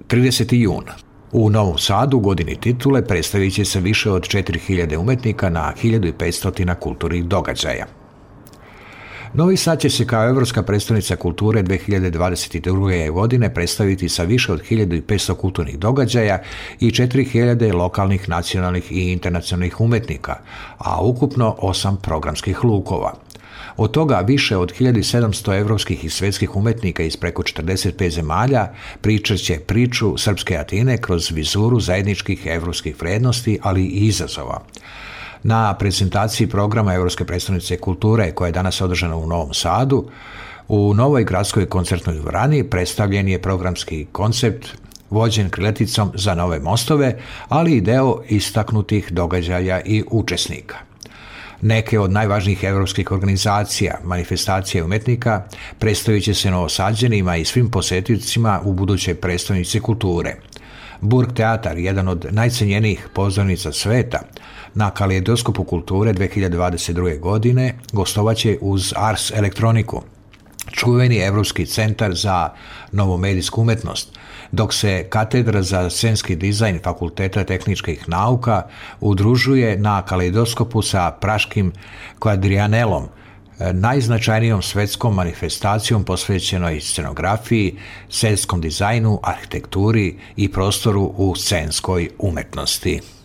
30. jun. U Novom Sadu u godini titule predstavit će se više od 4000 umetnika na 1500 kulturnih događaja. Novi Sad će se kao Evropska predstavnica kulture 2022. godine predstaviti sa više od 1500 kulturnih događaja i 4000 lokalnih, nacionalnih i internacionalnih umetnika, a ukupno 8 programskih lukova. Od toga više od 1700 evropskih i svjetskih umetnika iz preko 45 zemalja pričat će priču Srpske Atine kroz vizuru zajedničkih evropskih vrednosti, ali i izazova. Na prezentaciji programa Evropske predstavnice kulture, koja je danas održana u Novom Sadu, u novoj gradskoj koncertnoj dvorani predstavljen je programski koncept vođen krilaticom za nove mostove, ali i deo istaknutih događaja i učesnika. Neke od najvažnijih evropskih organizacija, manifestacija umetnika predstavit će se Novosađanima i svim posjetiteljima u budućoj predstavnici kulture. Burg teatar, jedan od najcenjenijih pozornica sveta, na Kaleidoskopu kulture 2022. godine gostovaće uz Ars Elektroniku, čuveni Evropski centar za novomedijsku umetnost, dok se Katedra za scenski dizajn Fakulteta tehničkih nauka udružuje na Kaleidoskopu sa praškim kvadrijanelom, najznačajnijom svetskom manifestacijom posvećenoj scenografiji, scenskom dizajnu, arhitekturi i prostoru u scenskoj umetnosti.